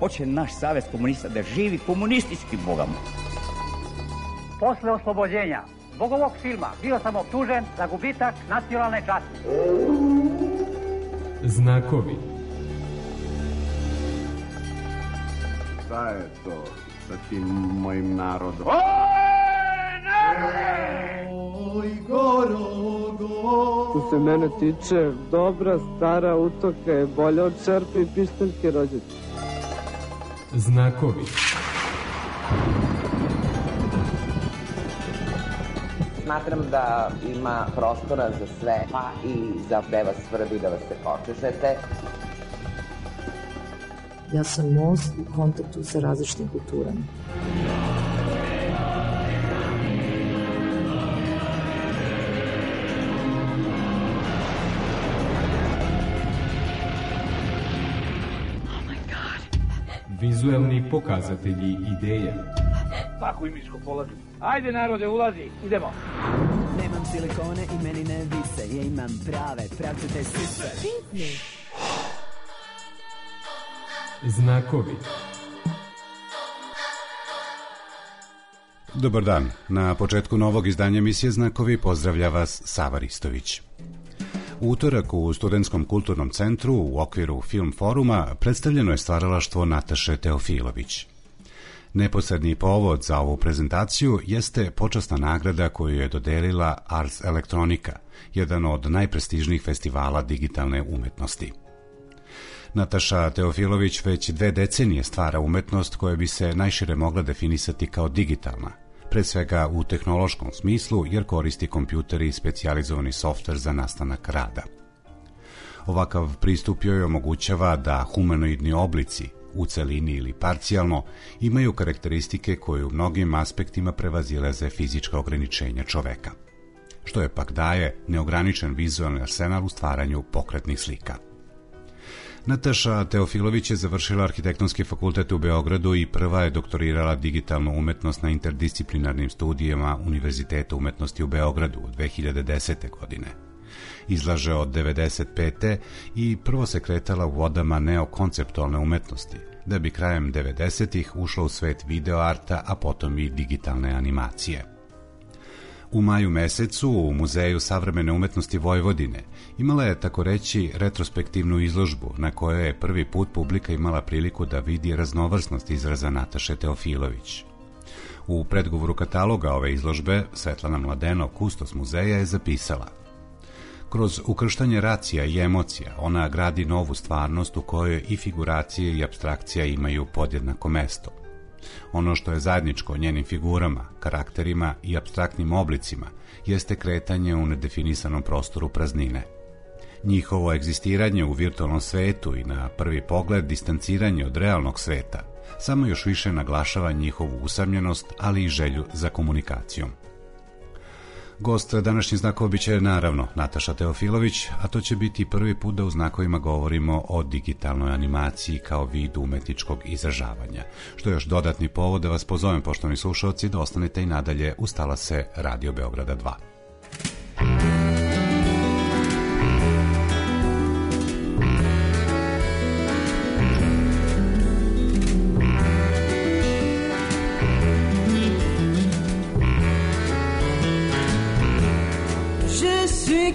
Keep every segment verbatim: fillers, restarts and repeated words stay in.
Hoće naš savez komunista da živi komunistički, Boga mu. Posle oslobođenja zbog ovog filma bio sam optužen za gubitak nacionalne časti. Znakovi. Šta je to sa tim mojim narodom? Oj, Gorogo. Što se mene tiče, dobra stara utoka je bolja od čerpe i pištaljke rođete. Znakovi. Smatram da ima prostora za sve, pa i za da vas svrbi, da vas se počešete. Ja sam most u kontaktu sa različitim kulturama. Vizuelni pokazatelji ideja. Pakuj miško, polazi. Ajde narode, ulazi, idemo. Nemam silikone i meni ne vise, ja imam prave, pravcate sise. Znakovi. Dobar dan. Na početku novog izdanja emisije Znakovi pozdravlja vas Sava Ristović. U utorak u Studentskom kulturnom centru u okviru Film foruma predstavljeno je stvaralaštvo Nataše Teofilović. Neposredni povod za ovu prezentaciju jeste počasna nagrada koju je dodelila Ars Electronica, jedan od najprestižnijih festivala digitalne umetnosti. Nataša Teofilović već dve decenije stvara umetnost koja bi se najšire mogla definisati kao digitalna, pre svega u tehnološkom smislu jer koristi kompjuter i specijalizovani softver za nastanak rada. Ovakav pristup joj omogućava da humanoidni oblici, u celini ili parcijalno, imaju karakteristike koje u mnogim aspektima prevazilaze fizička ograničenja čoveka, što je pak daje neograničen vizualni arsenal u stvaranju pokretnih slika. Nataša Teofilović je završila Arhitektonski fakultet u Beogradu i prva je doktorirala digitalnu umetnost na interdisciplinarnim studijama Univerziteta umetnosti u Beogradu u dve hiljade desete. godine. Izlaže od devedeset pete. i prvo se kretala u vodama neokonceptualne umetnosti, da bi krajem devedesetih ušla u svet videoarta, a potom i digitalne animacije. U maju mesecu u Muzeju savremene umetnosti Vojvodine imala je, tako reći, retrospektivnu izložbu na kojoj je prvi put publika imala priliku da vidi raznovrsnost izraza Nataše Teofilović. U predgovoru kataloga ove izložbe Svetlana Mladeno, kustos muzeja, je zapisala: kroz ukrštanje racija i emocija ona gradi novu stvarnost u kojoj i figuracije i apstrakcija imaju podjednako mesto. Ono što je zajedničko njenim figurama, karakterima i apstraktnim oblicima jeste kretanje u nedefinisanom prostoru praznine. Njihovo egzistiranje u virtualnom svetu i na prvi pogled distanciranje od realnog sveta samo još više naglašava njihovu usamljenost, ali i želju za komunikacijom. Gost današnjih znakova biće naravno Nataša Teofilović, a to će biti prvi put da u znakovima govorimo o digitalnoj animaciji kao vidu umetničkog izražavanja, što je još dodatni povod da vas pozovem, poštovani slušalci, da ostanete i nadalje uz talase Radio Beograda dva.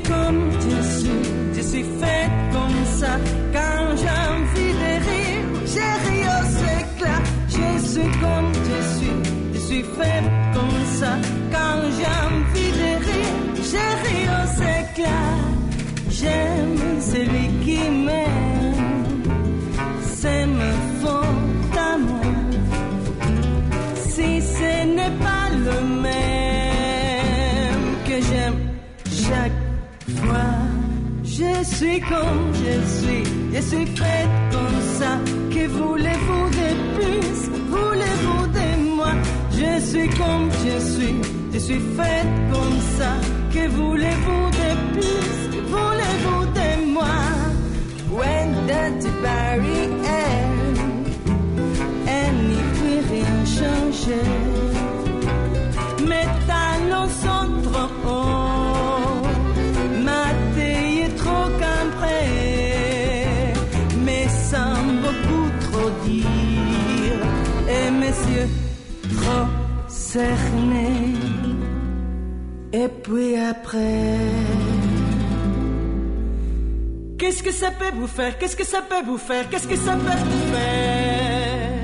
Comme tu suis, je suis faite comme ça. Quand j'ai envie de rire, je ris aux éclats. Je suis comme tu suis, je suis faite comme ça. Quand j'ai envie de rire, je ris aux éclats. J'aime celui qui m'aime, c'est me fond à moi. Si ce n'est pas le même que j'aime chaque fois, je suis comme je suis, je suis faite comme ça. Que voulez-vous de plus, voulez-vous de moi? Je suis comme je suis, je suis faite comme ça. Que voulez-vous de plus, voulez-vous de moi? When that barrière, elle n'y peut rien changer. Mes talons sont trop hauts, ma taille est trop cambrée, mais sans beaucoup trop dire. et mes yeux trop cernés. Et puis après, qu'est-ce que ça peut vous faire? Qu'est-ce que ça peut vous faire? Qu'est-ce que ça peut vous faire?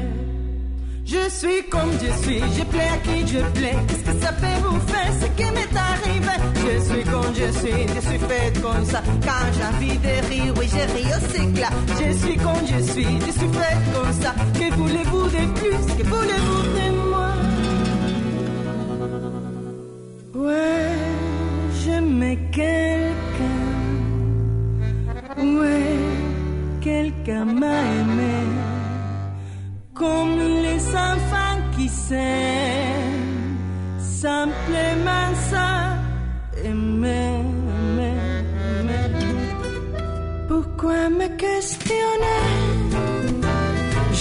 Je suis comme je suis, je plais à qui je plais. Qu'est-ce que ça peut vous faire? Ce qui m'est arrivé. Je suis comme je suis, je suis faite comme ça. Quand j'ai envie de rire, oui, je ris aussi là. Je suis comme je suis, je suis faite comme ça. Que voulez-vous de plus? Que voulez-vous de moi? Ouais, j'aimais quelqu'un. Ouais, quelqu'un m'a aimé. Comme les enfants qui s'aiment, simplement ça, aimer, aimer, aimer. Pourquoi me questionner?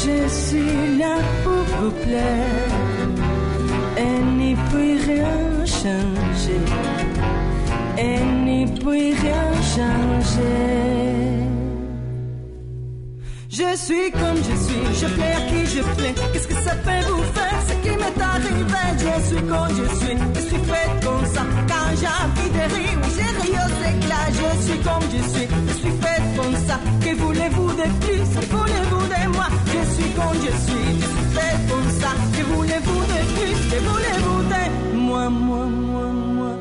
Je suis là pour vous plaire et n'y puis rien changer, et n'y puis rien changer. Je suis comme je suis, je plais à qui je plais. Qu'est-ce que ça peut vous faire? Ce qui m'est arrivé. Je suis comme je suis, je suis faite comme ça. Quand j'ai envie de rire, oui, je ris aux éclats. Je suis comme je suis, je suis faite comme ça. Que voulez-vous de plus? Que voulez-vous de moi? Je suis comme je suis, je suis faite comme ça. Que voulez-vous de plus? Que voulez-vous de moi, moi, moi, moi?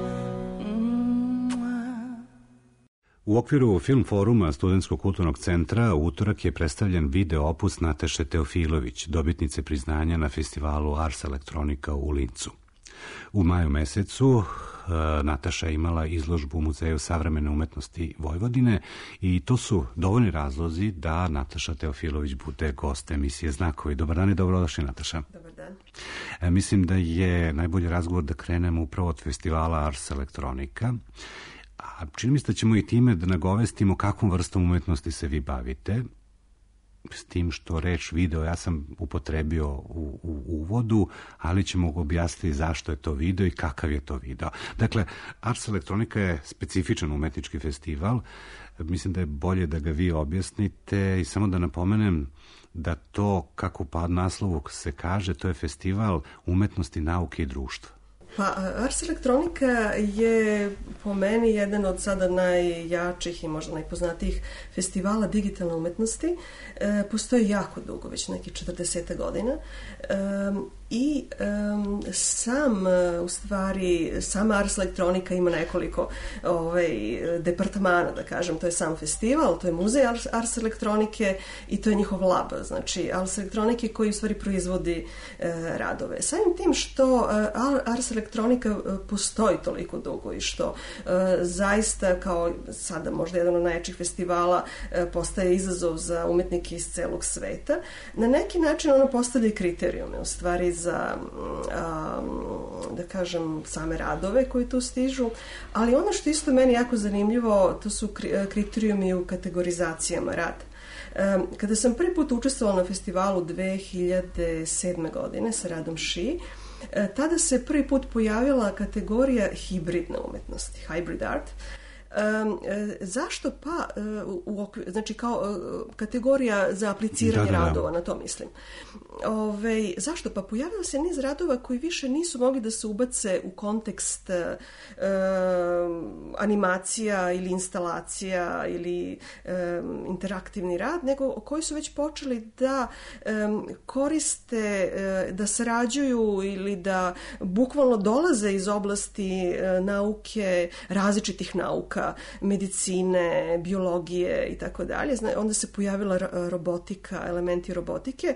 U okviru Film foruma Studentskog kulturnog centra u utorak je predstavljen video opus Nataše Teofilović, dobitnice priznanja na festivalu Ars Electronica u Lincu. U maju mesecu Nataša je imala izložbu u Muzeju savremene umetnosti Vojvodine i to su dovoljni razlozi da Nataša Teofilović bude gost emisije Znakovi. Dobar dan i dobrodošli, Nataša. Dobar dan. E, mislim da je najbolji razgovor da krenemo upravo od festivala Ars Electronica. A čini mi se da ćemo i time da nagovestimo kakvom vrstom umetnosti se vi bavite, s tim što reč video ja sam upotrebio u, u uvodu, ali ćemo objasniti zašto je to video i kakav je to video. Dakle, Ars Electronica je specifičan umetnički festival, mislim da je bolje da ga vi objasnite i samo da napomenem da to, kako pa naslovu se kaže, to je festival umetnosti, nauke i društva. Pa Ars Electronica je po meni jedan od sada najjačih i možda najpoznatijih festivala digitalne umetnosti. E, postoji jako dugo, već neki četrdeset godina. E, I um, sam, u stvari, sama Ars Electronica ima nekoliko ovaj, departmana, da kažem. To je sam festival, to je muzej Ars, Ars Elektronike i to je njihov lab, znači Ars Elektronike koji u stvari proizvodi e, radove. Samim tim što e, Ars Electronica e, postoji toliko dugo i što e, zaista kao sada možda jedan od najjačih festivala e, postaje izazov za umetnike iz celog sveta, na neki način ono postavlja kriterijume, u stvari za, da kažem, same radove koji tu stižu, ali ono što isto meni jako zanimljivo, to su kriterijumi u kategorizacijama rada. Kada sam prvi put učestvovala na festivalu dve hiljade sedme. godine sa radom Ši, tada se prvi put pojavila kategorija hibridne umetnosti, hybrid art. Um, zašto pa u okviru, znači kao kategorija za apliciranje da, da, da. radova, na to mislim. Ove, zašto? Pa pojavila se niz radova koji više nisu mogli da se ubace u kontekst uh, animacija ili instalacija ili um, interaktivni rad, nego koji su već počeli da um, koriste, uh, da sarađuju ili da bukvalno dolaze iz oblasti uh, nauke, različitih nauka, medicine, biologije i tako dalje. Onda se pojavila robotika, elementi robotike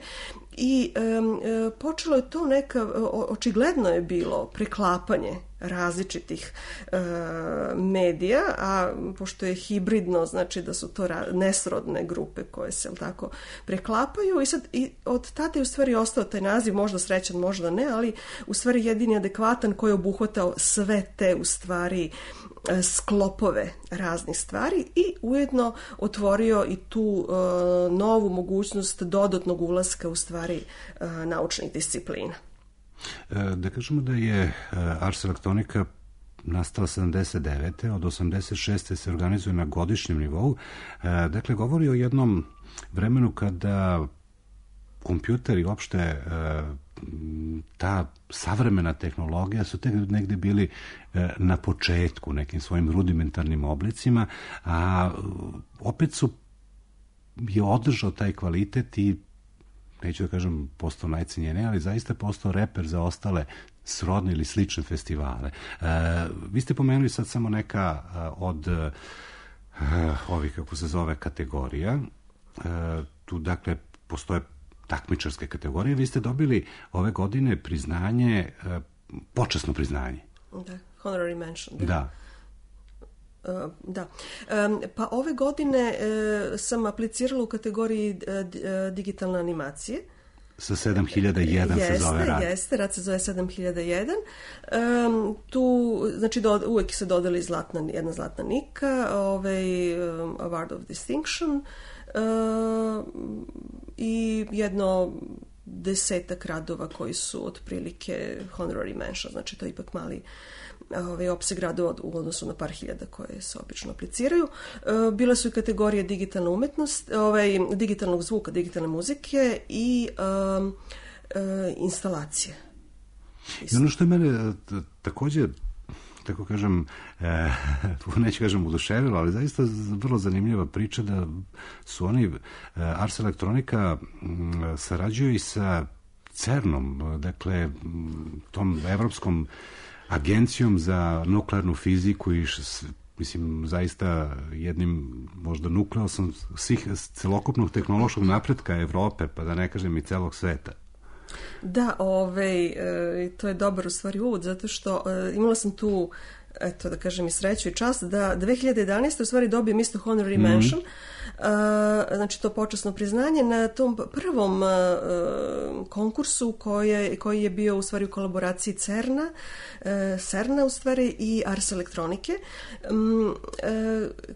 i um, počelo je to neka, očigledno je bilo preklapanje različitih e, medija, a pošto je hibridno, znači da su to ra- nesrodne grupe koje se tako preklapaju i sad i od tada je u stvari ostao taj naziv, možda srećan, možda ne, ali u stvari jedini adekvatan koji je obuhvatao sve te u stvari sklopove raznih stvari i ujedno otvorio i tu uh, novu mogućnost dodatnog ulaska u stvari uh, naučnih disciplina. Da kažemo da je Ars Electronica nastala sedamdeset devete. Od osamdeset šeste. se organizuje na godišnjem nivou. Dakle, govori o jednom vremenu kada kompjuter i uopšte ta savremena tehnologija su tek negde bili na početku nekim svojim rudimentarnim oblicima, a opet su je održao taj kvalitet i neću da kažem postao najcenjeniji, ali zaista postao reper za ostale srodne ili slične festivale. E, vi ste pomenuli sad samo neka od e, ovih, kako se zove, kategorija. E, tu, dakle, postoje takmičarske kategorije. Vi ste dobili ove godine priznanje, e, počasno priznanje. Da, honorary mention. Da. da. Uh, da. Um, pa ove godine uh, sam aplicirala u kategoriji uh, digitalne animacije. Sa sedam hiljada jedan jeste, se zove rad. Jeste, rad se zove sedam hiljada jedan. Um, tu, znači, do, uvek se dodali zlatna, jedna zlatna nika, ovaj, um, Award of Distinction uh, i jedno desetak radova koji su otprilike honorary mention, znači to je ipak mali ovaj, opseg radova u odnosu na par hiljada koje se obično apliciraju. E, bile su i kategorije digitalna umetnost, ovaj, digitalnog zvuka, digitalne muzike i um, e, instalacije. I ono što je mene također, tako kažem, e, neću kažem oduševilo, ali zaista vrlo zanimljiva priča da su oni, e, Ars Electronica m, sarađuju i sa CERN-om, dakle, tom evropskom agencijom za nuklearnu fiziku i š, mislim, zaista jednim možda nukleosom svih celokupnog tehnološkog napretka Evrope, pa da ne kažem i celog sveta. Da, ovaj, e, to je dobar u stvari uvod, zato što e, imala sam tu, eto da kažem i sreću i čast, da dve hiljade jedanaeste u stvari dobijem isto honorary mm-hmm. mention, Uh, znači to počasno priznanje na tom prvom uh, konkursu koje, koji je bio u stvari u kolaboraciji CERN-a, uh, CERN-a u stvari i Ars Elektronike, um, uh,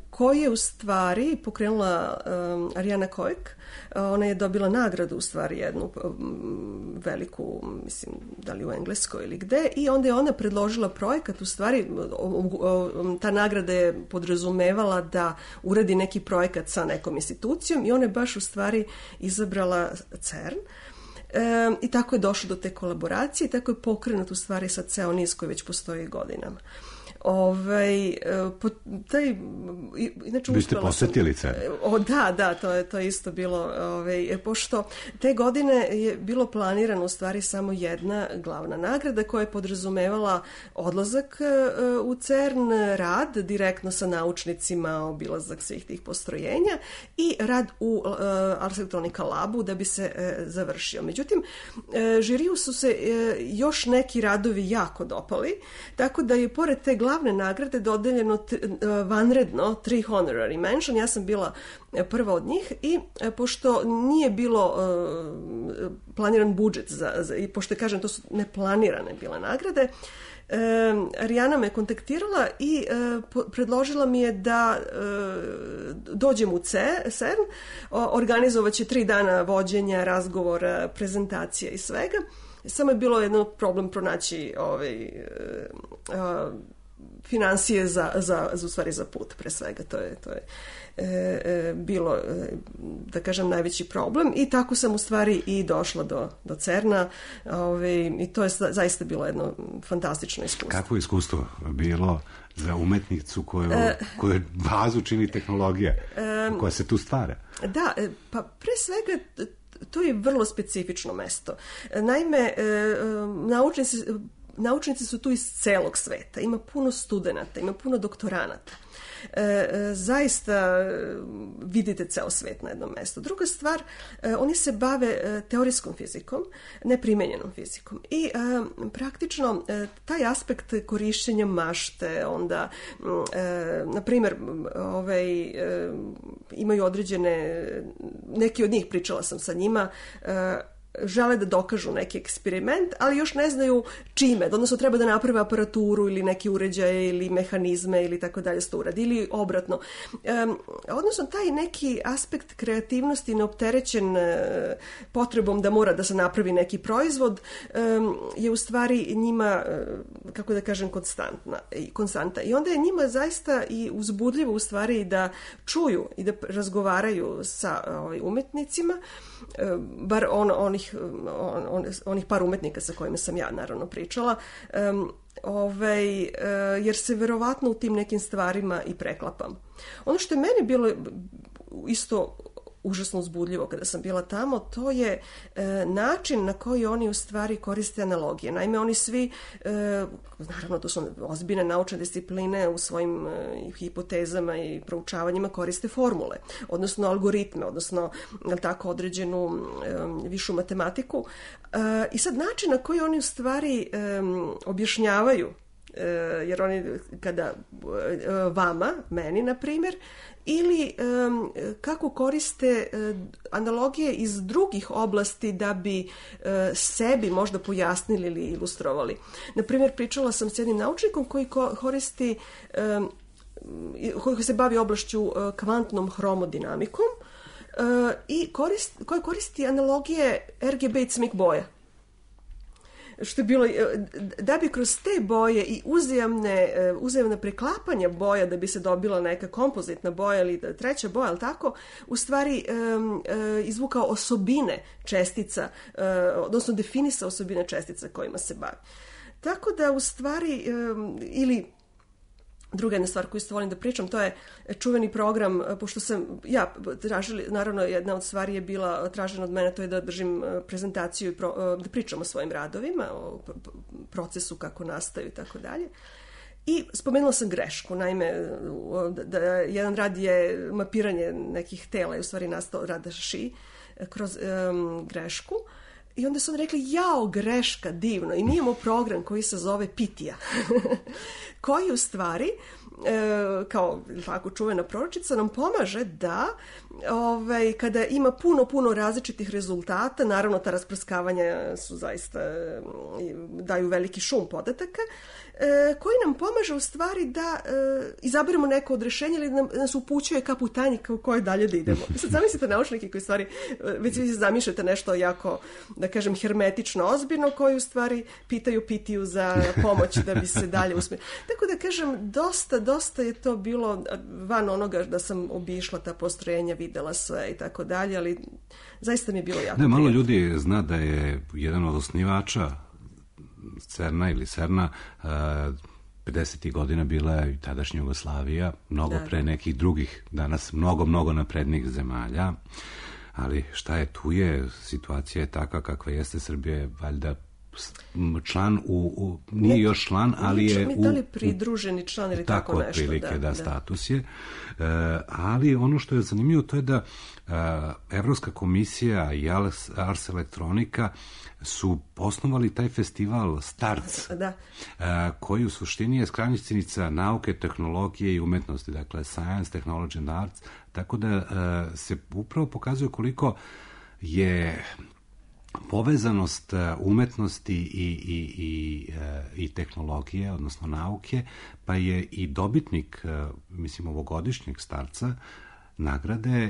koji je u stvari pokrenula um, Ariana Kojek. Uh, ona je dobila nagradu u stvari jednu um, veliku, mislim, da li u Engleskoj ili gde, i onda je ona predložila projekat, u stvari um, um, ta nagrada je podrazumevala da uradi neki projekat sa nekom institucijom i ona je baš u stvari izabrala CERN. E, i tako je došlo do te kolaboracije i tako je pokrenut u stvari sad ceo niz koji već postoji godinama. Ovaj, po, taj, inače, vi ste posetili CERN? O, da, da, to je, to je isto bilo, ovaj, pošto te godine je bilo planirano u stvari samo jedna glavna nagrada koja je podrazumevala odlazak u CERN, rad direktno sa naučnicima, obilazak svih tih postrojenja i rad u uh, Ars Electronica Labu da bi se uh, završio. Međutim, uh, žiriju su se uh, još neki radovi jako dopali, tako da je pored te glavne glavne nagrade dodeljeno t, vanredno tri honorary mention. Ja sam bila prva od njih i pošto nije bilo uh, planiran budžet za, za, i pošto kažem to su neplanirane bile nagrade, Uh, Ariana me kontaktirala i uh, po, predložila mi je da uh, dođem u CERN, organizovat će tri dana vođenja, razgovora, prezentacija i svega. Samo je bilo jedno problem pronaći ovaj, uh, uh, financije za, za, za, u stvari za put, pre svega. To je, to je e, e, bilo, e, da kažem, najveći problem i tako sam u stvari i došla do, do CERN-a ove, i to je zaista bilo jedno fantastično iskustvo. Kako iskustvo bilo za umetnicu koju, e, koju bazu čini tehnologija e, koja se tu stvara? Da, pa pre svega to je vrlo specifično mesto. Naime, e, naučnici Naučnici su tu iz celog sveta, ima puno studenata, ima puno doktoranata. E, zaista vidite ceo svet na jednom mestu. Druga stvar, e, oni se bave teorijskom fizikom, neprimenjenom fizikom i e, praktično e, taj aspekt korišćenja mašte, onda e, na primjer ovaj, e, imaju određene, neki od njih, pričala sam sa njima, e, žele da dokažu neki eksperiment, ali još ne znaju čime, odnosno treba da naprave aparaturu ili neki uređaje ili mehanizme ili tako dalje, to uradi, ili obratno. Um, odnosno taj neki aspekt kreativnosti neopterećen uh, potrebom da mora da se napravi neki proizvod um, je u stvari njima, uh, kako da kažem, konstantna, i konstanta. I onda je njima zaista i uzbudljivo u stvari da čuju i da razgovaraju sa ovaj, umetnicima, uh, bar on, onih onih, on, on, onih par umetnika sa kojima sam ja naravno pričala, um, ovaj, uh, jer se verovatno u tim nekim stvarima i preklapam. Ono što je meni bilo isto užasno uzbudljivo kada sam bila tamo, to je e, način na koji oni u stvari koriste analogije. Naime, oni svi, e, naravno to su ozbiljne naučne discipline, u svojim e, hipotezama i proučavanjima koriste formule, odnosno algoritme, odnosno tako određenu e, višu matematiku. E, I sad način na koji oni u stvari e, objašnjavaju, e, jer oni kada e, vama, meni na primjer, ili um, kako koriste uh, analogije iz drugih oblasti da bi uh, sebi možda pojasnili ili ilustrovali. Naprimjer, pričala sam s jednim naučnikom koji ko- koristi, um, koji se bavi oblašću uh, kvantnom hromodinamikom uh, i korist, koji koristi analogije er ge be i cmik boja. Što je bilo, da bi kroz te boje i uzajamne, uzajamne preklapanja boja da bi se dobila neka kompozitna boja ili treća boja, ali tako, u stvari um, izvukao osobine čestica, uh, odnosno definisao osobine čestica kojima se bavi. Tako da u stvari, um, ili druga jedna stvar koju isto volim da pričam, to je čuveni program, pošto sam ja tražili, naravno jedna od stvari je bila tražena od mene, to je da držim prezentaciju i pro, da pričam o svojim radovima, o procesu kako nastaju i tako dalje. I spomenula sam grešku, naime, da jedan rad je mapiranje nekih tela i u stvari nastao rad Ši kroz um, grešku. I onda su oni rekli, jao, greška, divno. I mi imamo program koji se zove Pitija, koji u stvari, e, kao tako čuvena proročica, nam pomaže da ovaj, kada ima puno, puno različitih rezultata, naravno ta rasprskavanja su zaista, daju veliki šum podataka, e, koji nam pomaže u stvari da e, izaberemo neko od rješenja ili da nam, nas upućuje ka putanji u kojoj dalje da idemo. Sad zamislite naučnike koji u stvari, već vi zamišljate nešto jako, da kažem, hermetično ozbiljno, koji u stvari pitaju Pitiju za pomoć da bi se dalje usmjerili. Tako da kažem, dosta, dosta je to bilo van onoga da sam obišla ta postrojenja, videla sve i tako dalje, ali zaista mi je bilo jako ne, malo prijatno. ljudi zna da je jedan od osnivača CERN-a ili CERN-a pedesetih godina bila i tadašnja Jugoslavija, mnogo da, pre nekih drugih, danas mnogo, mnogo naprednih zemalja, ali šta je tu je, situacija je takva kakva jeste, Srbija je valjda član u, u nije još član, ali je u, da li pridruženi član ili tako, tako nešto. Otprilike, da, da, da, status je. E, ali ono što je zanimljivo to je da e, Evropska komisija i Ars Electronica su osnovali taj festival STARTS, da. e, koji u suštini je skrajnjica nauke, tehnologije i umetnosti, dakle Science, Technology and Arts, tako da e, se upravo pokazuje koliko je povezanost umetnosti i, i, i, i tehnologije, odnosno nauke, pa je i dobitnik, mislim, ovogodišnjeg starca nagrade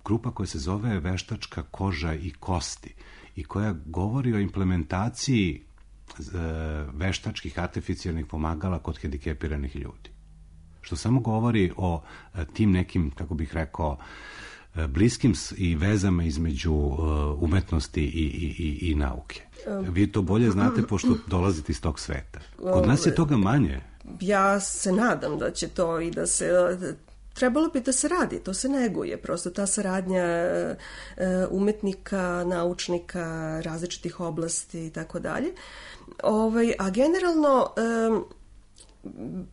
grupa koja se zove Veštačka koža i kosti i koja govori o implementaciji veštačkih artificijalnih pomagala kod hendikepiranih ljudi. Što samo govori o tim nekim, kako bih rekao, bliskim i vezama između uh, umetnosti i, i, i, i nauke. Vi to bolje znate pošto dolazite iz tog sveta. Kod nas je toga manje. Ja se nadam da će to i da se... Trebalo bi da se radi, to se neguje. Prosto ta saradnja uh, umetnika, naučnika, različitih oblasti i tako dalje. Ovaj, a generalno... Um,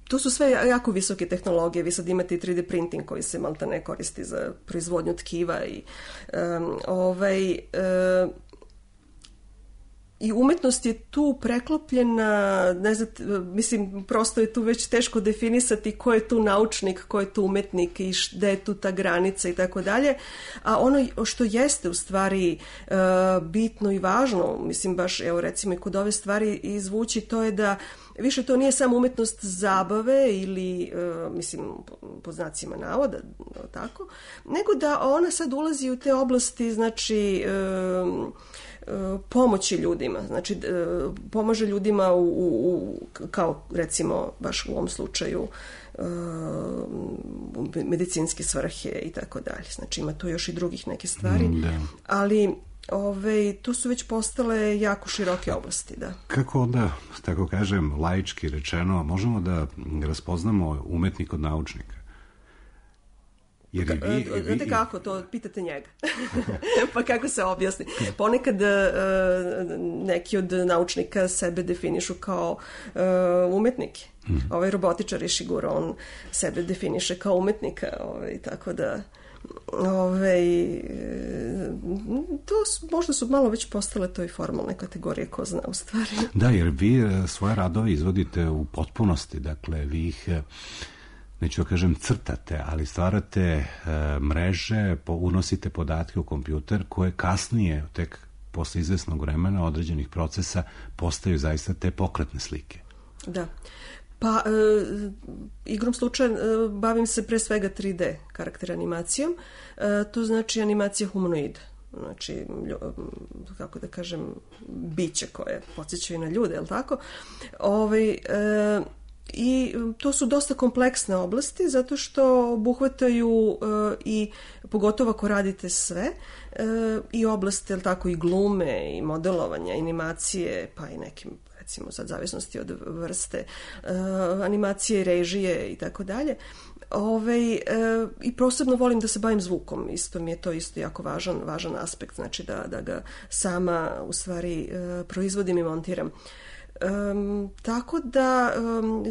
tu su sve jako visoke tehnologije. Vi sad imate i tri D printing koji se malta ne koristi za proizvodnju tkiva i um, ovaj um, i umetnost je tu preklopljena, ne znam, mislim, prosto je tu već teško definisati ko je tu naučnik, ko je tu umetnik i gde je tu ta granica i tako dalje, a ono što jeste u stvari uh, bitno i važno, mislim baš, evo recimo i kod ove stvari izvući, to je da više to nije samo umetnost zabave ili, uh, mislim, po znacima navoda, tako, nego da ona sad ulazi u te oblasti, znači, uh, pomoći ljudima, znači pomaže ljudima u, u, u kao recimo baš u ovom slučaju medicinske svrhe i tako dalje. Znači ima tu još i drugih neke stvari, da. ali Ove, tu su već postale jako široke oblasti, da. Kako onda, tako kažem, laički rečeno, možemo da raspoznamo umetnik od naučnika? Jer i vi, i vi... Znate kako, to pitate njega. Pa kako se objasni? Ponekad uh, neki od naučnika sebe definišu kao uh, umetnike. Mm. Ovaj robotičar je Shiguro, on sebe definiše kao umetnika, ovaj, tako da ovaj, to su, možda su malo već postale to i formalne kategorije, ko zna u stvari. Da, jer vi svoje radove izvodite u potpunosti, dakle vi ih, neću da kažem crtate, ali stvarate e, mreže, po, unosite podatke u kompjuter koje kasnije, tek posle izvesnog vremena, određenih procesa, postaju zaista te pokretne slike. Da. Pa, e, igrom slučaja e, bavim se pre svega tri D karakter animacijom, e, to znači animacija humanoida, znači, kako da kažem, biće koje podsjećaju na ljude, je li tako? Ovaj, e, I to su dosta kompleksne oblasti zato što obuhvataju e, i pogotovo ako radite sve e, i oblasti, je li tako, i glume i modelovanja, animacije, pa i nekim, recimo sad zavisnosti od vrste uh, animacije i režije i tako dalje. Ovaj, uh, i posebno volim da se bavim zvukom, isto mi je to isto jako važan, važan aspekt, znači da, da ga sama u stvari uh, proizvodim i montiram. Um, tako da um,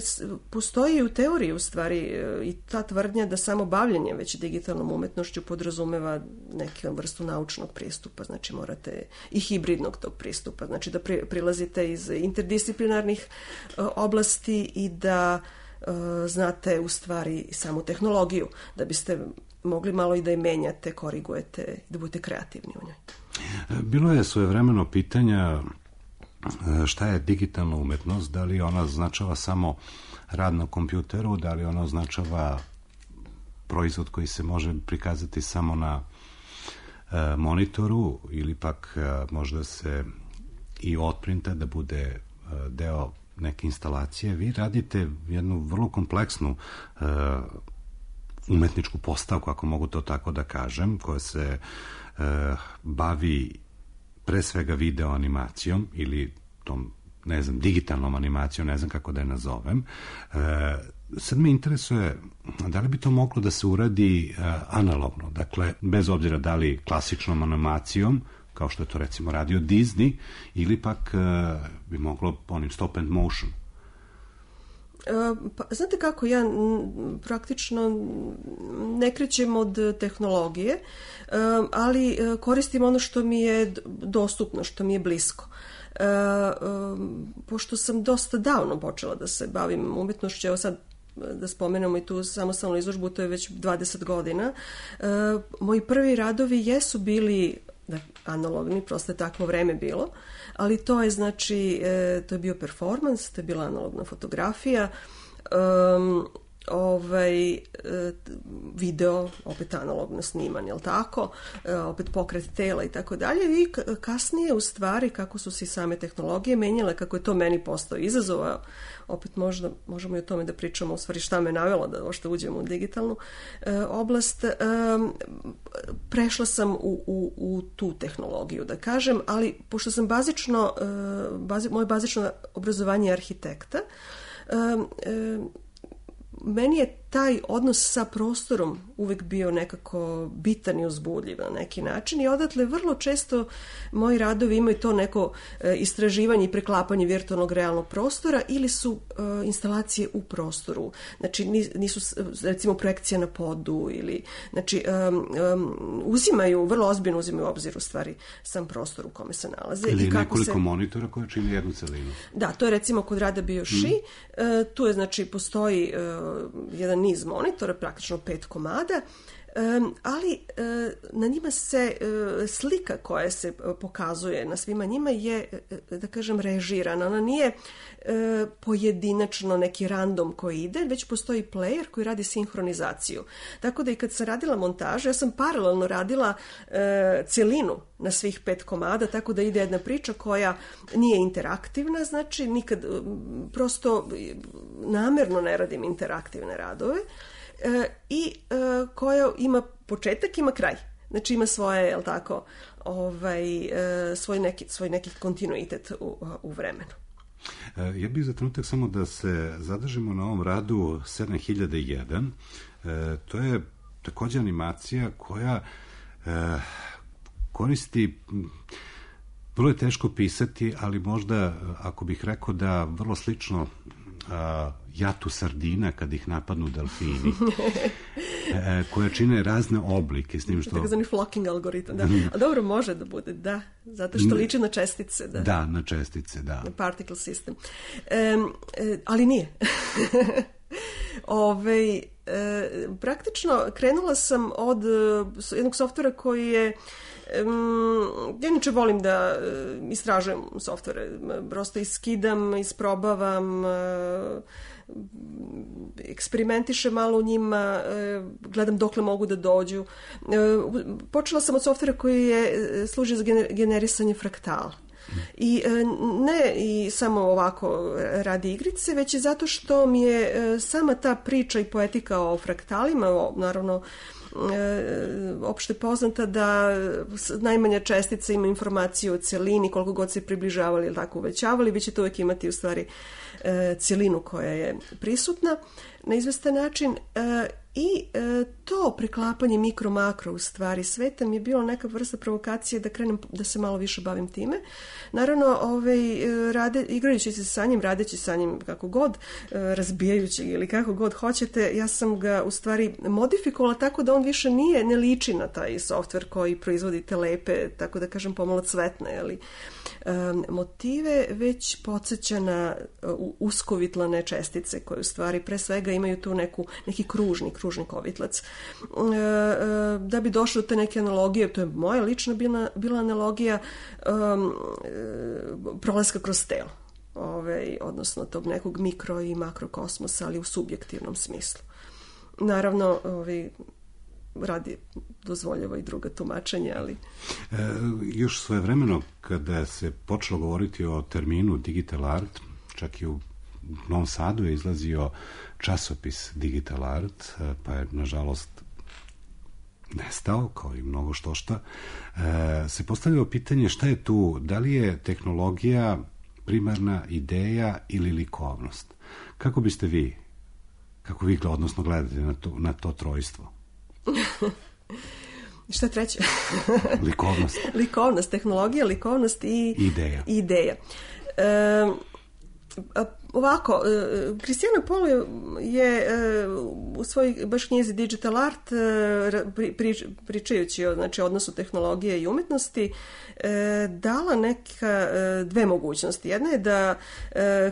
postoji u teoriji u stvari uh, i ta tvrdnja da samo bavljenje već digitalnom umetnošću podrazumeva neku vrstu naučnog pristupa, znači morate i hibridnog tog pristupa, znači da pri, prilazite iz interdisciplinarnih uh, oblasti i da uh, znate u stvari samu tehnologiju, da biste mogli malo i da je menjate, korigujete, da budete kreativni u njoj. Bilo je svojevremeno pitanja šta je digitalna umetnost, da li ona označava samo rad na kompjuteru, da li ona označava proizvod koji se može prikazati samo na e, monitoru ili pak e, možda se i otprinta da bude e, deo neke instalacije. Vi radite jednu vrlo kompleksnu e, umetničku postavku, ako mogu to tako da kažem, koja se e, bavi pre svega video animacijom ili tom, ne znam, digitalnom animacijom, ne znam kako da je nazovem. E, sad me interesuje da li bi to moglo da se uradi e, analogno, dakle, bez obzira da li klasičnom animacijom, kao što je to recimo radio Disney, ili pak e, bi moglo onim stop and motion. Pa, znate kako, ja praktično ne krećem od tehnologije, ali koristim ono što mi je dostupno, što mi je blisko. Pošto sam dosta davno počela da se bavim umetnošću, evo sad da spomenemo i tu samostalnu izložbu, to je već dvadeset godina, moji prvi radovi jesu bili analogni, prosto je takvo vreme bilo, ali to je znači, to je bio performans, to je bila analogna fotografija, um, ovaj, video, opet analogno sniman, jel tako, opet pokret tela i tako dalje, i kasnije u stvari kako su se same tehnologije menjale, kako je to meni postao izazov, opet možda možemo i o tome da pričamo, u stvari šta me navjelo da ošto uđemo u digitalnu e, oblast. E, prešla sam u, u, u tu tehnologiju, da kažem, ali pošto sam bazično, e, bazi, moje bazično obrazovanje je arhitekta, e, e, meni je taj odnos sa prostorom uvek bio nekako bitan i uzbudljiv na neki način i odatle vrlo često moji radovi imaju to neko e, istraživanje i preklapanje virtualnog realnog prostora ili su e, instalacije u prostoru. Znači nisu recimo projekcija na podu ili znači um, um, uzimaju, vrlo ozbiljno uzimaju u obzir u stvari sam prostor u kome se nalaze. Ili i kako nekoliko se... monitora koje čini jednu celinu. Da, to je recimo kod rada Bioshi, mm. e, tu je znači postoji e, jedan niz monitora, praktično pet komada, um, ali uh, na njima se uh, slika koja se uh, pokazuje na svima njima je, uh, da kažem, režirana. Ona nije uh, pojedinačno neki random koji ide, već postoji player koji radi sinhronizaciju. Tako da i kad sam radila montažu, ja sam paralelno radila uh, celinu na svih pet komada, tako da ide jedna priča koja nije interaktivna, znači nikad, prosto namerno ne radim interaktivne radove, e, i e, koja ima početak, ima kraj. Znači ima svoje, jel tako, ovaj, svoj, neki, svoj neki kontinuitet u, u vremenu. Ja bih za trenutak samo da se zadržimo na ovom radu sedam hiljada jedan. To je također animacija koja koristi, vrlo je teško pisati, ali možda, ako bih rekao da vrlo slično jatu sardina kad ih napadnu delfini, koja čine razne oblike s tim što... Tako zvani flocking algoritam, da. A dobro, može da bude, da, zato što liči na čestice. Da, da na čestice, da. Na particle system. E, e, ali nije. Ove, e, praktično krenula sam od jednog softvera koji je Um, ja inače volim da uh, istražujem softvere, prosto iskidam, isprobavam, uh, eksperimentišem malo u njima, uh, gledam dokle mogu da dođu. Uh, počela sam od softvera koji je služi za gener- generisanje fraktala. I ne i samo ovako radi igrice, već i zato što mi je sama ta priča i poetika o fraktalima, naravno opšte poznata da najmanja čestica ima informaciju o celini, koliko god se približavali ili tako uvećavali, vi ćete uvijek imati u stvari celinu koja je prisutna na izvestan način. I e, to preklapanje mikro-makro u stvari sveta mi je bilo neka vrsta provokacije da krenem da se malo više bavim time. Naravno, ovaj, rade, igrajući se sa njim, radeći sa njim kako god, razbijajući ili kako god hoćete, ja sam ga u stvari modifikovala tako da on više nije, ne liči na taj softver koji proizvodi te lepe, tako da kažem pomalo cvetne, ali um, motive, već podsjeća na uh, uskovitlane čestice koje u stvari pre svega imaju tu neku, neki kružni, kružni kovitlac. Uh, uh, da bi došlo do te neke analogije, to je moja lična bila, bila analogija um, uh, prolaska kroz telo. Ove, odnosno tog nekog mikro i makrokosmosa, ali u subjektivnom smislu. Naravno, ovi, radi dozvoljava i druga tumačenja, ali... E, još svojevremeno, kada se počelo govoriti o terminu digital art, čak i u Novom Sadu je izlazio časopis Digital Art, pa je, nažalost, nestao, kao i mnogo što šta, e, se postavljalo pitanje šta je tu, da li je tehnologija primarna ideja ili likovnost. Kako biste vi, kako vi odnosno gledate na to, na to trojstvo? Šta treće? Likovnost. Likovnost, tehnologija, likovnost i ideja. ideja. E, ovako, Kristijana Pol je u svojoj baš knjizi Digital Art, pričajući o znači, odnosu tehnologije i umetnosti, dala neka dve mogućnosti. Jedna je da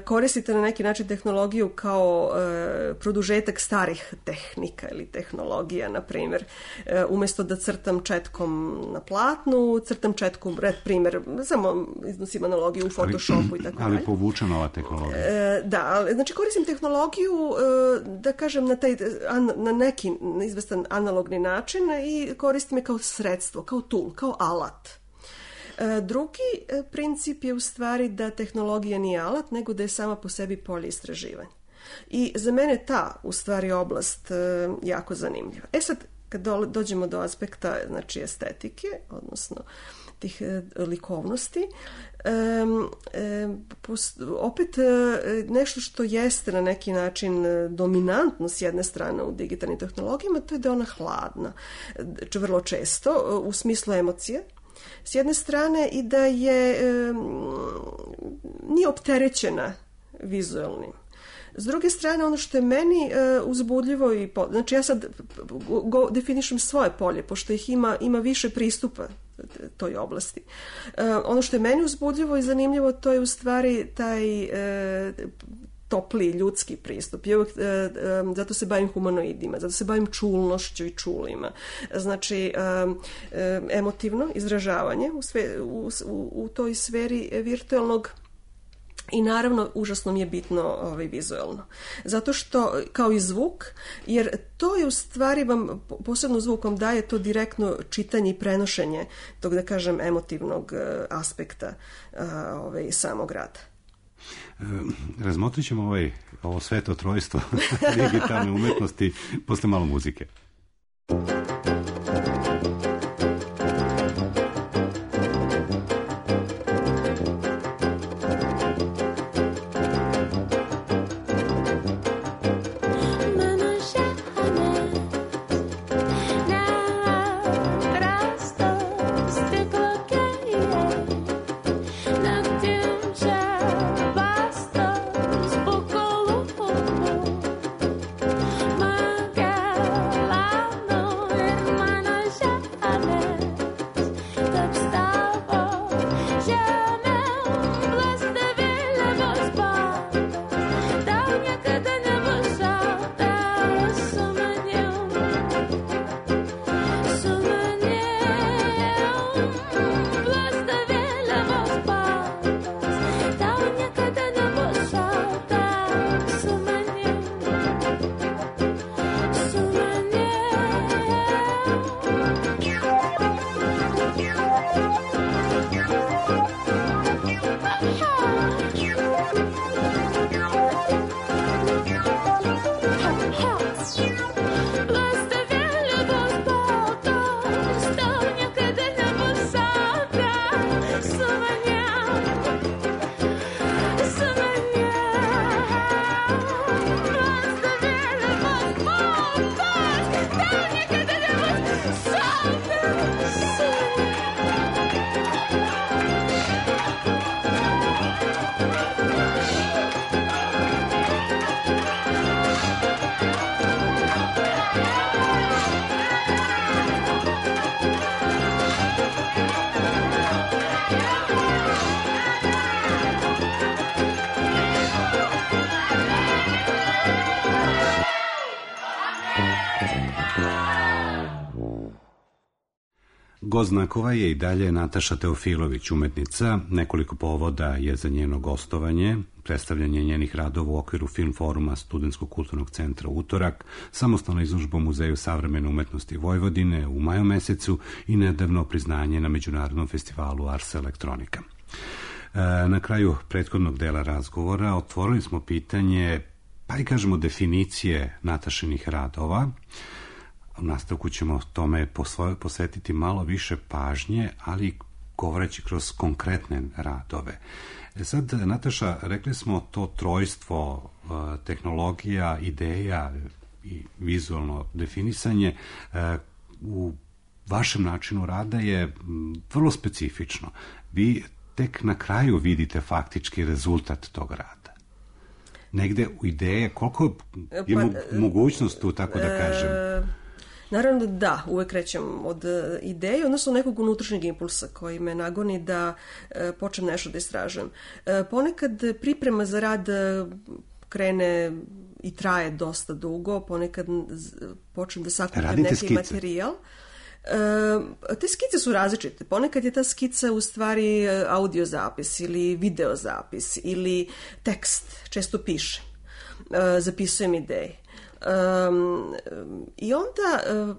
koristite na neki način tehnologiju kao produžetak starih tehnika ili tehnologija, na primjer, umjesto da crtam četkom na platnu, crtam četkom, primjer, samo iznosim analogiju u Photoshopu ali, i tako dalje. Ali povučena ova tehnologija. Da, znači koristim tehnologiju, da kažem, na, taj, na neki izvestan analogni način i koristim je kao sredstvo, kao tool, kao alat. Drugi princip je u stvari da tehnologija nije alat, nego da je sama po sebi polje istraživanja. I za mene ta, u stvari, oblast jako zanimljiva. E sad, kad dođemo do aspekta, znači, estetike, odnosno tih likovnosti, um, um, post, opet uh, nešto što jeste na neki način dominantno s jedne strane u digitalnim tehnologijama, to je da je ona hladna, vrlo često, u smislu emocije, s jedne strane, i da je um, nije opterećena vizualnim. S druge strane, ono što je meni uh, uzbudljivo i po, znači ja sad go, definišem svoje polje, pošto ih ima, ima više pristupa toj oblasti. Uh, ono što je meni uzbudljivo i zanimljivo, to je u stvari taj uh, topli ljudski pristup. I uvijek, uh, um, zato se bavim humanoidima, zato se bavim čulnošću i čulima. Znači, um, um, emotivno izražavanje u, sve, u, u, u toj sferi virtualnog. I naravno, užasno mi je bitno ovaj, vizualno. Zato što, kao i zvuk, jer to je u stvari vam, posebno zvuk vam daje to direktno čitanje i prenošenje tog, da kažem, emotivnog aspekta ovaj, samog rada. E, razmotrit ćemo ovaj, ovo sveto trojstvo digitalne umetnosti posle malo muzike. Gost znakova je i dalje Nataša Teofilović, umetnica. Nekoliko povoda je za njeno gostovanje, predstavljanje njenih radova u okviru Film foruma Studentskog kulturnog centra Utorak, samostalna izložba u Muzeju savremene umetnosti Vojvodine u maju mesecu i nedavno priznanje na Međunarodnom festivalu Ars Electronica. Na kraju prethodnog dela razgovora otvorili smo pitanje, pa i kažemo definicije Natašinih radova. U nastavku ćemo tome posvetiti malo više pažnje, ali govoreći kroz konkretne radove. E sad, Nataša, rekli smo to trojstvo tehnologija, ideja i vizualno definisanje u vašem načinu rada je vrlo specifično. Vi tek na kraju vidite faktički rezultat tog rada. Negde u ideje, koliko je pa, mogućnost tu, tako da kažem? Naravno da, uvek krećem od ideje, odnosno nekog unutrašnjeg impulsa koji me nagoni da e, počnem nešto da istražujem. E, ponekad priprema za rad krene i traje dosta dugo, ponekad počnem da sakupim neki skice. materijal. E, te skice su različite. Ponekad je ta skica u stvari audio zapis ili video zapis ili tekst, često pišem, e, zapisujem ideje. Um, i onda uh,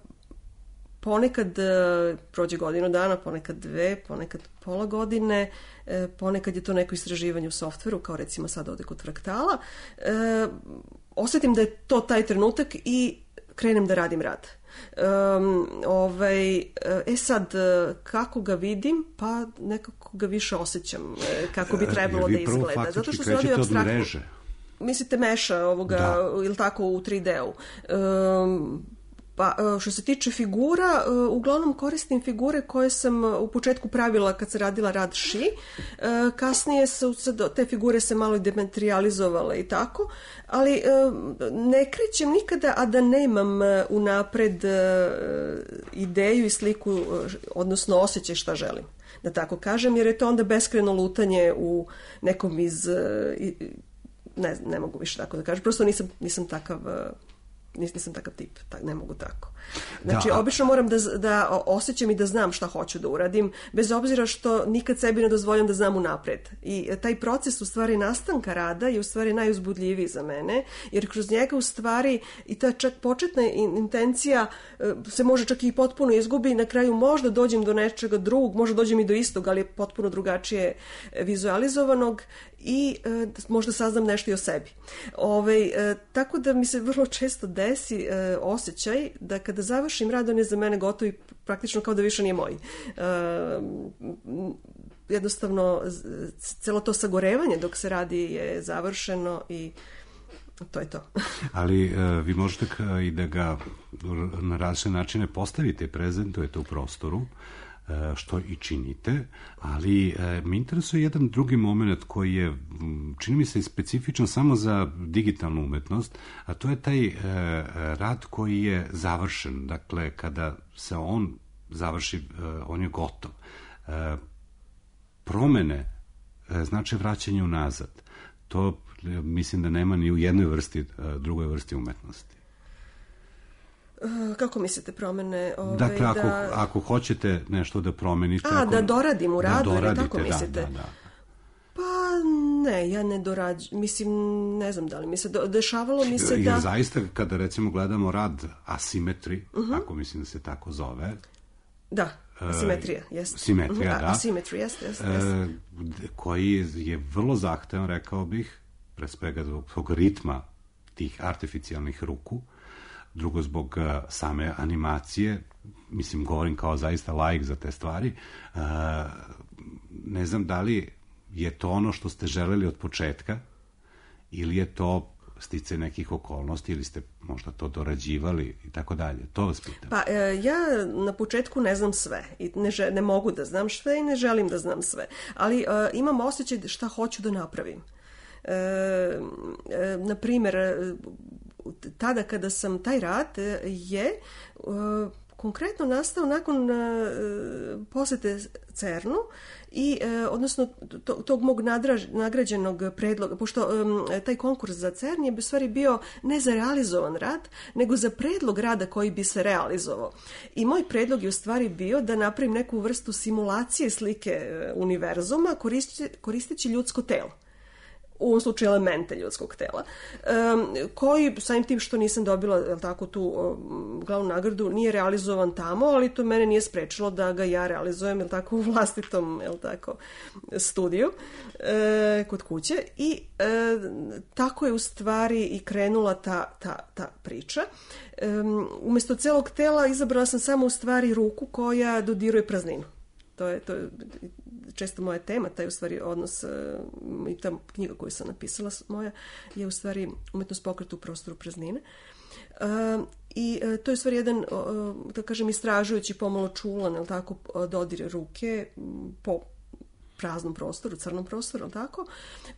ponekad uh, prođe godinu dana, ponekad dve, ponekad pola godine, uh, ponekad je to neko istraživanje u softveru, kao recimo sad ovde kod Fraktala, uh, osetim da je to taj trenutak i krenem da radim rad. Um, ovaj, e sad, kako ga vidim, pa nekako ga više osjećam kako bi trebalo da izgleda. Zato što se radi apstraktno. Mislite meša ovoga, da. Ili tako u tri D-u. Um, pa što se tiče figura, uglavnom koristim figure koje sam u početku pravila kad se radila rad ši. Kasnije su te figure se malo dematerializovale i tako, ali ne krećem nikada, a da nemam unapred ideju i sliku, odnosno osjećaj šta želim, da tako kažem, jer je to onda beskrajno lutanje u nekom iz... Ne, ne mogu više tako da kažem, prosto nisam, nisam takav nisam takav tip, tak, ne mogu tako. Znači, da. Obično moram da, da osjećam i da znam šta hoću da uradim, bez obzira što nikad sebi ne dozvoljam da znam unapred. I taj proces u stvari nastanka rada je u stvari najuzbudljiviji za mene, jer kroz njega u stvari i ta čak početna intencija se može čak i potpuno izgubi i na kraju možda dođem do nečega drugog, možda dođem i do istog, ali je potpuno drugačije vizualizovanog i e, možda saznam nešto i o sebi. Ove, e, tako da mi se vrlo često desi e, osjećaj da kada završim rad, on je za mene gotov i praktično kao da više nije moj. E, jednostavno, celo to sagorevanje dok se radi je završeno i to je to. Ali e, vi možete i da ga na različite načine postavite, prezentujete u prostoru, što i činite, ali e, me interesuje jedan drugi moment koji je, čini mi se, specifičan samo za digitalnu umetnost, a to je taj e, rad koji je završen. Dakle, kada se on završi, e, on je gotov. E, promene znači vraćanje unazad. To mislim da nema ni u jednoj vrsti, drugoj vrsti umetnosti. Kako mislite promene? Ove, dakle, ako, da... ako hoćete nešto da promenite... A, ako, da doradim u radu, da ili tako mislite? Da, da, da. Pa ne, ja ne dorađujem, mislim, ne znam da li mi se do, dešavalo mi se da... Jer zaista, kada recimo gledamo rad Asimetri, uh-huh. ako mislim da se tako zove... Da, asimetrija, jeste. Simetrija, uh-huh. da. Asimetrija, jeste, jeste. jeste. Koji je vrlo zahtevan, rekao bih, pre svega zbog tog ritma tih artificijalnih ruku, drugo zbog uh, same animacije, mislim, govorim kao zaista laik za te stvari, uh, ne znam da li je to ono što ste želeli od početka ili je to stice nekih okolnosti ili ste možda to dorađivali i tako dalje. To vas pitam. Pa e, ja na početku ne znam sve i ne, ne mogu da znam sve i ne želim da znam sve, ali e, imam osjećaj šta hoću da napravim. E, e, na primjer, tada kada sam taj rad je e, konkretno nastao nakon e, posete CERN-u i e, odnosno to, tog mog nadraž, nagrađenog predloga, pošto e, taj konkurs za CERN je u stvari bio ne za realizovan rad, nego za predlog rada koji bi se realizovao. I moj predlog je u stvari bio da napravim neku vrstu simulacije slike univerzuma koristeći, koristeći ljudsko telo. U ovom slučaju elemente ljudskog tela, um, koji, samim tim što nisam dobila jel tako, tu um, glavnu nagradu, nije realizovan tamo, ali to mene nije sprečilo da ga ja realizujem jel tako, u vlastitom jel tako, studiju e, kod kuće. I e, tako je u stvari i krenula ta, ta, ta priča. Um, umjesto celog tela izabrala sam samo u stvari ruku koja dodiruje prazninu. To je, to je često moja tema, taj u stvari odnos i ta knjiga koju sam napisala moja je u stvari umetnost pokreta u prostoru praznine. Uh, I uh, to je u stvari jedan, uh, da kažem, istražujući pomalo čulan, jel tako, dodir ruke po praznom prostoru, crnom prostoru, jel tako,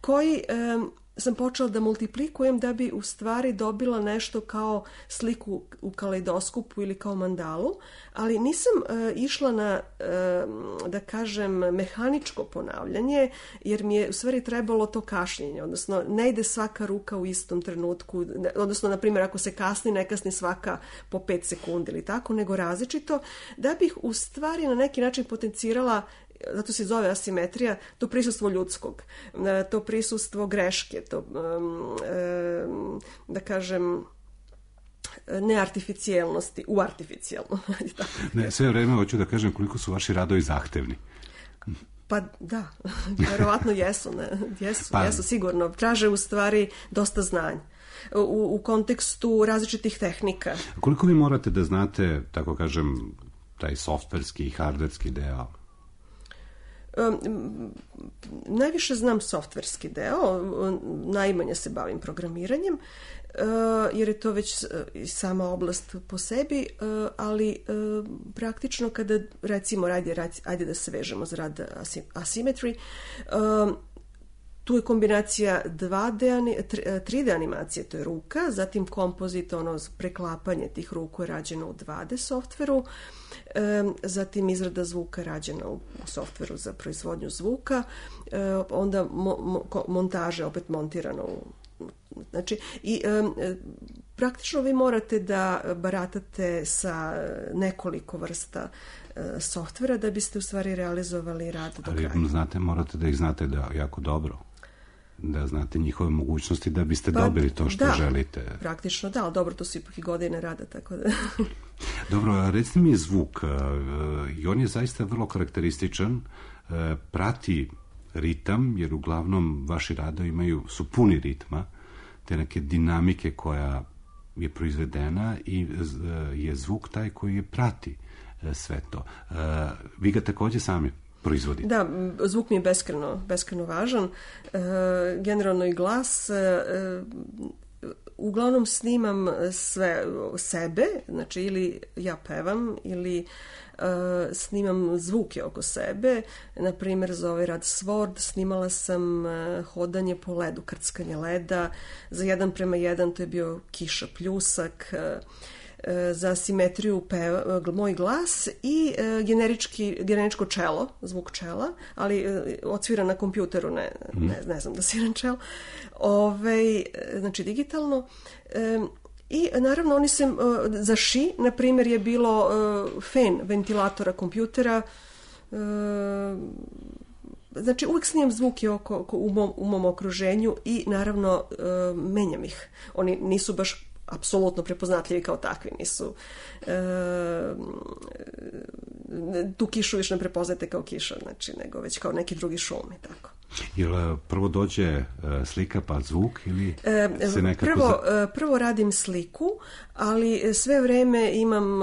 koji um, sam počela da multiplikujem da bi u stvari dobila nešto kao sliku u kaleidoskopu ili kao mandalu, ali nisam uh, išla na, uh, da kažem, mehaničko ponavljanje, jer mi je u stvari trebalo to kašnjenje, odnosno ne ide svaka ruka u istom trenutku, odnosno, na primjer, ako se kasni, ne kasni svaka po pet sekundi ili tako, nego različito, da bih u stvari na neki način potencirala, zato se zove asimetrija, to prisustvo ljudskog, to prisustvo greške, to, da kažem, neartificijelnosti u artificijelno. Ne, sve vreme hoću da kažem koliko su vaši radovi zahtevni. Pa da, verovatno jesu, ne, jesu, pa, jesu sigurno. Traže u stvari dosta znanja. U, u kontekstu različitih tehnika. Koliko vi morate da znate, tako kažem, taj softverski i hardverski deo? Um, najviše znam softverski deo, najmanje se bavim programiranjem, uh, jer je to već uh, sama oblast po sebi, uh, ali uh, praktično kada, recimo, ajde, ajde da se vežemo za rad Asymmetry, uh, tu je kombinacija dva D, tri D animacije, to je ruka, zatim kompozit, ono preklapanje tih ruku je rađeno u dva D softveru, zatim izrada zvuka rađena u softveru za proizvodnju zvuka, onda mo, mo, montaže opet montirano u, znači, i praktično vi morate da baratate sa nekoliko vrsta softvera da biste u stvari realizovali rad do kraja. Ali znate, morate da ih znate da jako dobro, da znate njihove mogućnosti da biste pa, dobili to što da, želite. Praktično da, ali dobro, to su ipak i godine rada, tako da... Dobro, recite mi zvuk, i on je zaista vrlo karakterističan, prati ritam, jer uglavnom vaši radovi imaju, su puni ritma, te neke dinamike koja je proizvedena i je zvuk taj koji je prati sve to. Vi ga takođe sami proizvodite? Da, zvuk mi je beskreno, beskreno važan. Generalno i glas. Uglavnom snimam sve sebe, znači ili ja pevam ili uh, snimam zvuke oko sebe. Na primjer, za ovaj rad Sword snimala sam uh, hodanje po ledu, krckanje leda. Za jedan prema jedan to je bio kiša pljusak. Uh, za simetriju peva, moj glas i generički, generičko čelo, zvuk čela, ali odsvira na kompjuteru, ne, ne, ne znam da sviram čelo, Ove, znači digitalno. I naravno oni se, za ši, na primjer, je bilo fen ventilatora kompjutera. Znači uvijek snimam zvuke oko, oko, u, mom, u mom okruženju i naravno menjam ih. Oni nisu baš apsolutno prepoznatljivi kao takvi, nisu tu kišu više ne prepoznate kao kiša, znači, nego već kao neki drugi šum i tako. Jel prvo dođe slika pa zvuk ili se nekako... Prvo, prvo radim sliku, ali sve vreme imam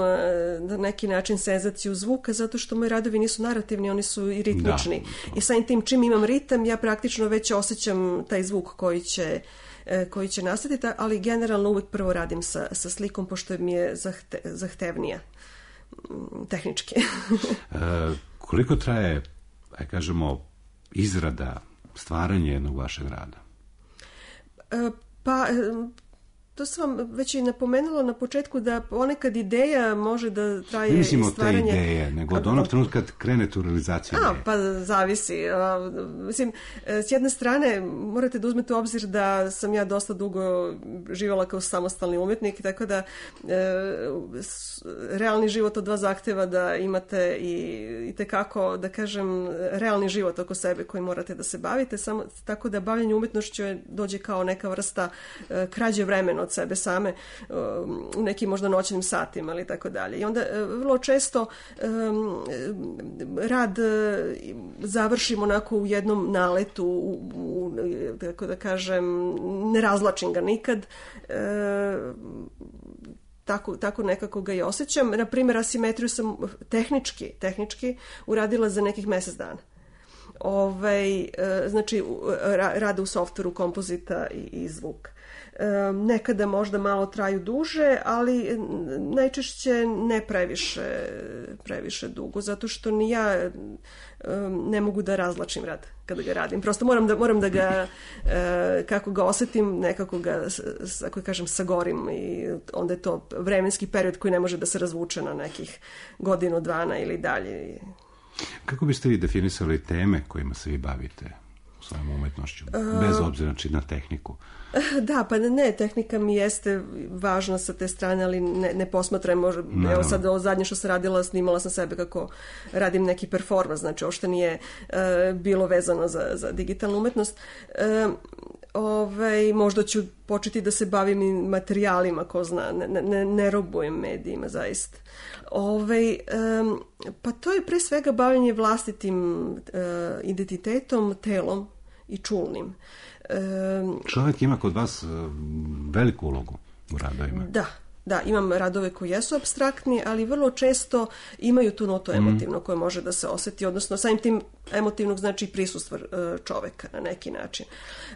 na neki način senzaciju zvuka, zato što moji radovi nisu narativni, oni su i ritmični. Da. I samim tim čim imam ritam, ja praktično već osjećam taj zvuk koji će koji će nastati, ali generalno uvijek prvo radim sa, sa slikom, pošto mi je zahte, zahtevnija tehnički. e, koliko traje, aj kažemo, izrada, stvaranje jednog vašeg rada? E, pa, to sam vam već i napomenula na početku, da ponekad ideja može da traje i stvaranje... Ne mislimo te ideje, nego od onog trenutka kad krenete u realizaciju A, ideje. pa zavisi. A, mislim, s jedne strane morate da uzmete u obzir da sam ja dosta dugo živjela kao samostalni umjetnik, tako da e, realni život od vas zahteva da imate i, i tekako, da kažem, realni život oko sebe koji morate da se bavite, samo tako da bavljenje umjetnošću dođe kao neka vrsta e, krađe vremena od sebe same u nekim možda noćnim satima ili tako dalje. I onda vrlo često um, rad završim onako u jednom naletu, u, u, tako da kažem, ne razlačim ga nikad. E, Tako, tako nekako ga i osjećam. Na primjer, asimetriju sam tehnički, tehnički uradila za nekih mjesec dana. Ovaj, znači, rade u softveru kompozita i, i zvuk. Nekada možda malo traju duže, ali najčešće ne previše, previše dugo, zato što ni ja ne mogu da razlačim rad kada ga radim. Prosto moram da, moram da ga, kako ga osjetim, nekako ga, ako kažem, sagorim i onda je to vremenski period koji ne može da se razvuče na nekih godinu, dvana ili dalje. Kako biste vi definisali teme kojima se vi bavite svojom umetnošću, bez obzira znači na tehniku? Da, pa ne, tehnika mi jeste važna sa te strane, ali ne, ne posmatram, možda, evo sad ovo zadnje što sam radila, snimala sam sebe kako radim neki performans, znači ovo što nije uh, bilo vezano za, za digitalnu umetnost. Uh, ovaj, možda ću početi da se bavim i materijalima, ko zna, ne, ne, ne robujem medijima, zaista. Ovaj, um, pa to je pre svega bavljenje vlastitim uh, identitetom, telom i čulnim. Čovjek ima kod vas veliku ulogu u radovima. Da, da, imam radove koji jesu apstraktni, ali vrlo često imaju tu notu emotivno mm. koje može da se osjeti, odnosno samim tim emotivnog znači prisustvo čovjeka na neki način.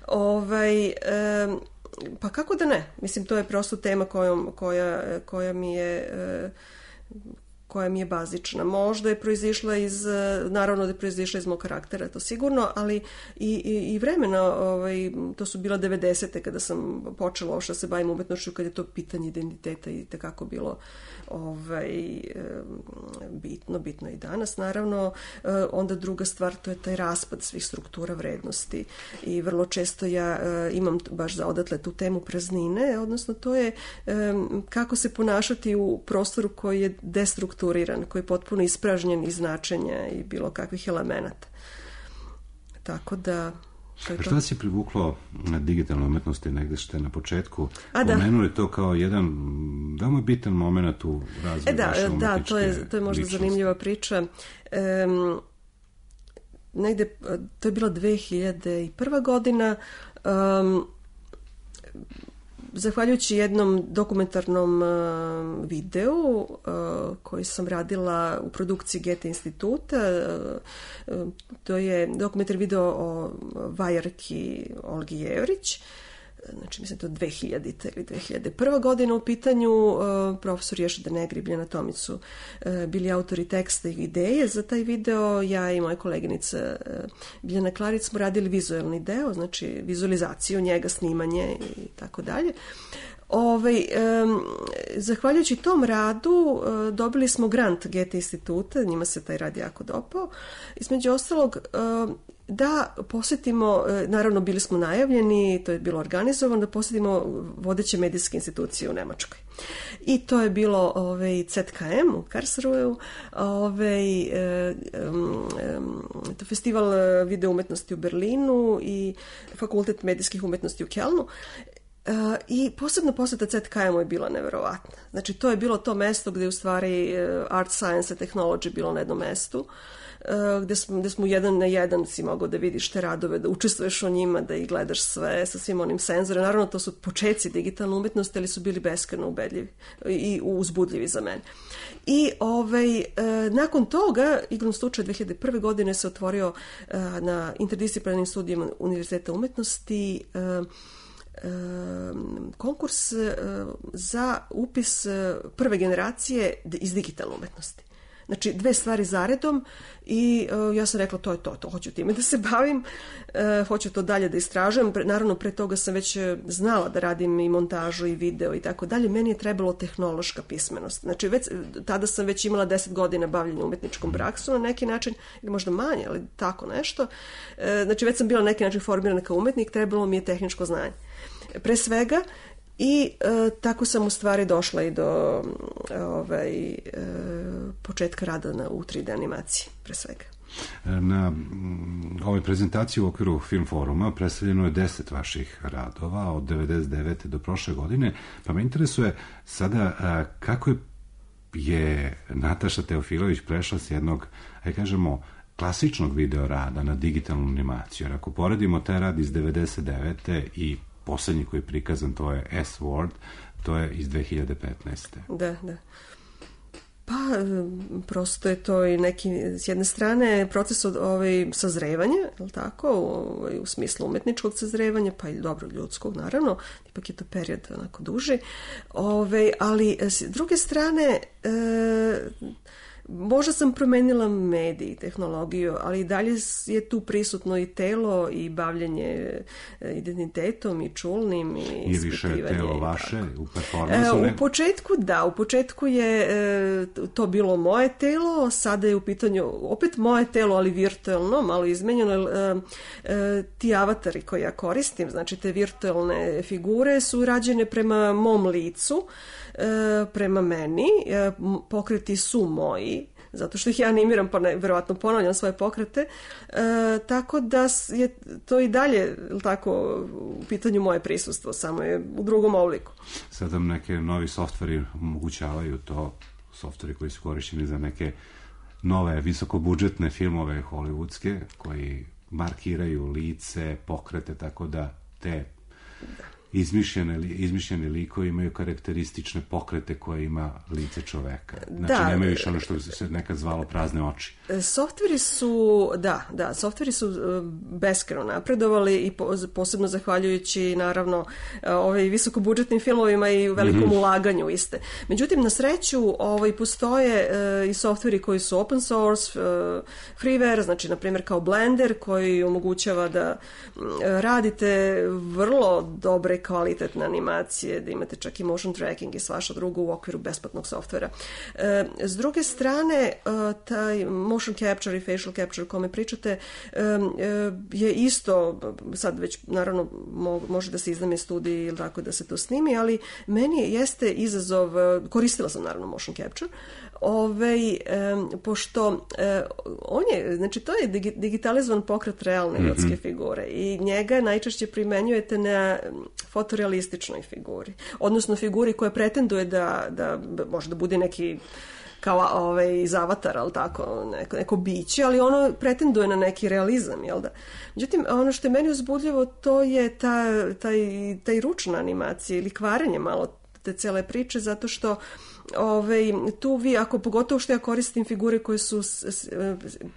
Ovaj, pa kako da ne? Mislim, to je prosto tema kojom, koja, koja mi je... koja mi je bazična. Možda je proizišla iz, naravno da je proizišla iz mog karaktera, to sigurno, ali i, i, i vremena, ovaj, to su bila devedesete kada sam počela ovo što se bavim umetnošću, kada je to pitanje identiteta i tekako bilo ovaj, bitno, bitno i danas. Naravno, onda druga stvar, to je taj raspad svih struktura vrednosti i vrlo često ja imam baš za odatle tu temu praznine, odnosno to je kako se ponašati u prostoru koji je destrukturiran, koji je potpuno ispražnjen iz značenja i bilo kakvih elemenata. Tako da... Što vas je privuklo na digitalnoj umetnosti, negde ste na početku A, pomenuli to kao jedan veoma bitan moment u razvoju e, da, vaše umetničke Da, to je, to je možda ličnosti. Zanimljiva priča. Um, negde, to je bila dve hiljade prva godina. Um, Zahvaljujući jednom dokumentarnom uh, videu uh, koji sam radila u produkciji Goethe instituta, uh, uh, to je dokumentar video o vajarki Olgi Jevrić, znači mislim to dve hiljadite ili dve hiljade prva godina u pitanju. Uh, profesor Ješida Negri i Biljana Tomicu uh, bili autori teksta i ideje za taj video. Ja i moja koleginica uh, Biljana Klarić smo radili vizualni deo, znači vizualizaciju njega, snimanje i tako dalje. Ovaj, um, zahvaljujući tom radu uh, dobili smo grant Goethe instituta, njima se taj rad jako dopao. Između ostalog, uh, da posjetimo, uh, naravno bili smo najavljeni, to je bilo organizovano, da posjetimo vodeće medijske institucije u Nemačkoj. I to je bilo ovaj, C K M u Karlsruheu, ovaj, um, um, to festival video umetnosti u Berlinu i fakultet medijskih umetnosti u Kelnu. Uh, I posebno posjeta C K M-u je bila neverovatna. Znači, to je bilo to mesto gdje u stvari uh, art, science and technology bilo na jednom mestu, uh, gdje smo, gdje smo jedan na jedan si mogao da vidiš te radove, da učestvuješ o njima, da ih gledaš sve sa svim onim senzorima. Naravno, to su počeci digitalne umetnosti, ali su bili beskrajno ubedljivi i uzbudljivi za mene. I ovaj, uh, nakon toga, igrom slučaja dve hiljade prve. godine se otvorio uh, na interdisciplinarnim studijima Univerziteta umetnosti uh, konkurs za upis prve generacije iz digitalne umetnosti. Znači, dve stvari zaredom i uh, ja sam rekla to je to, to hoću time da se bavim, uh, hoću to dalje da istražujem. Pre, naravno, pre toga sam već znala da radim i montažu i video i tako dalje. Meni je trebalo tehnološka pismenost. Znači, već, tada sam već imala deset godina bavljenja umetničkom praksom na neki način, ili možda manje, ali tako nešto. Uh, znači, već sam bila na neki način formirana kao umetnik, trebalo mi je tehničko znanje. Pre svega, i e, tako sam u stvari došla i do ovaj, e, početka rada na, u tri D animaciji, pre svega. Na ovoj prezentaciji u okviru Film foruma predstavljeno je deset vaših radova od devedeset devete do prošle godine, pa me interesuje sada a, kako je Nataša Teofilović prešla s jednog, aj kažemo, klasičnog video rada na digitalnu animaciju. Jer ako poredimo taj rad iz devedeset devete i poslednji koji je prikazan, to je S-Word, to je iz dve hiljade petnaeste. Da, da. Pa, prosto je to i neki, s jedne strane, proces od, ovaj, sazrevanja, je li tako, ovaj, u smislu umetničkog sazrevanja, pa i dobro ljudskog, naravno, ipak je to period onako duži, ovaj, ali s druge strane, e, možda sam promenila medij i tehnologiju, ali i dalje je tu prisutno i telo i bavljanje identitetom i čulnim i ispitivanje. I više je telo vaše u performansu? E, u početku da, u početku je e, to bilo moje telo, sada je u pitanju opet moje telo, ali virtualno, malo izmenjeno. E, e, ti avatari koje ja koristim, znači te virtualne figure su rađene prema mom licu, e, prema meni, e, pokreti su moji, zato što ih ja animiram, pa ne, verovatno ponavljam svoje pokrete, e, tako da je to i dalje tako u pitanju moje prisustvo, samo je u drugom obliku. Sad vam neke novi softveri omogućavaju to, softveri koji su korišćeni za neke nove visokobudžetne filmove hollywoodske, koji markiraju lice, pokrete, tako da te izmišljene, izmišljeni likovi imaju karakteristične pokrete koje ima lice čoveka. Znači, da, nemaju više ono što se nekad zvalo prazne oči. Softveri su, da, da, softveri su beskrajno napredovali i posebno zahvaljujući, naravno, ovaj, visokobudžetnim filmovima i velikom mm-hmm. ulaganju iste. Međutim, na sreću, ovaj, postoje uh, i softveri koji su open source, uh, freeware, znači, na primjer, kao Blender, koji omogućava da uh, radite vrlo dobre kvalitetne animacije, da imate čak i motion tracking i svašta drugo u okviru besplatnog softvera. E, s druge strane, e, taj motion capture i facial capture o kome pričate e, je isto, sad već naravno mo, može da se izname studiji ili tako da se to snimi, ali meni jeste izazov, koristila sam naravno motion capture, Ove, e, pošto e, on je, znači to je digi, digitalizovan pokret realne mm-hmm. ljudske figure i njega najčešće primenjujete na fotorealističnoj figuri, odnosno figuri koja pretenduje da, da može da bude neki kao ovaj, iz Avatara, ali tako, neko, neko biće, ali ono pretenduje na neki realizam, jel da? Međutim, ono što je meni uzbudljivo, to je ta, taj, taj ručna animacija ili kvarenje malo te cele priče, zato što Ove, tu vi, ako pogotovo što ja koristim figure koje su s, s,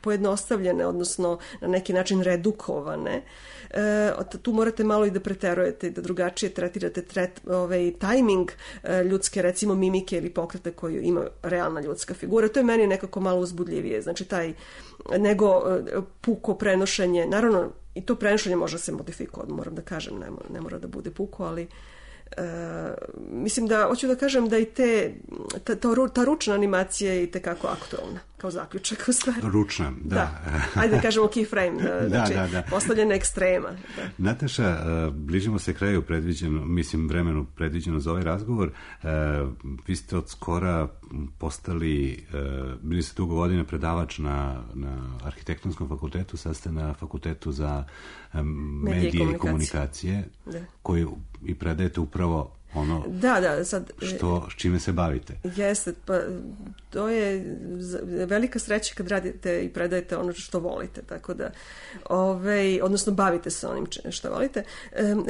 pojednostavljene, odnosno na neki način redukovane, e, tu morate malo i da preterujete, da drugačije tretirate tret, ovaj, tajming e, ljudske, recimo mimike ili pokrete koju ima realna ljudska figura. To je meni nekako malo uzbudljivije, znači taj, nego e, puko prenošenje, naravno i to prenošenje može se modifikovati, moram da kažem, ne, ne mora da bude puko, ali Uh, mislim da, hoću da kažem da i te, ta, ta, ta ručna animacija je i tekako aktualna, kao zaključak u stvari. Ručna, da. da. Ajde da kažemo keyframe, da, da, znači da, da. postavljena ekstrema. Da. Nataša, uh, bližimo se kraju predviđeno, mislim vremenu predviđeno za ovaj razgovor. Uh, vi ste od skora postali, uh, bili ste dugo godina predavač na, na arhitektonskom fakultetu, sad ste na fakultetu za um, medije, medije i komunikacije, komunikacije koji i predajete upravo ono da, da, sad, što, s čime se bavite. Jeste, pa to je velika sreća kad radite i predajete ono što volite, tako da ovaj, odnosno bavite se onim što volite.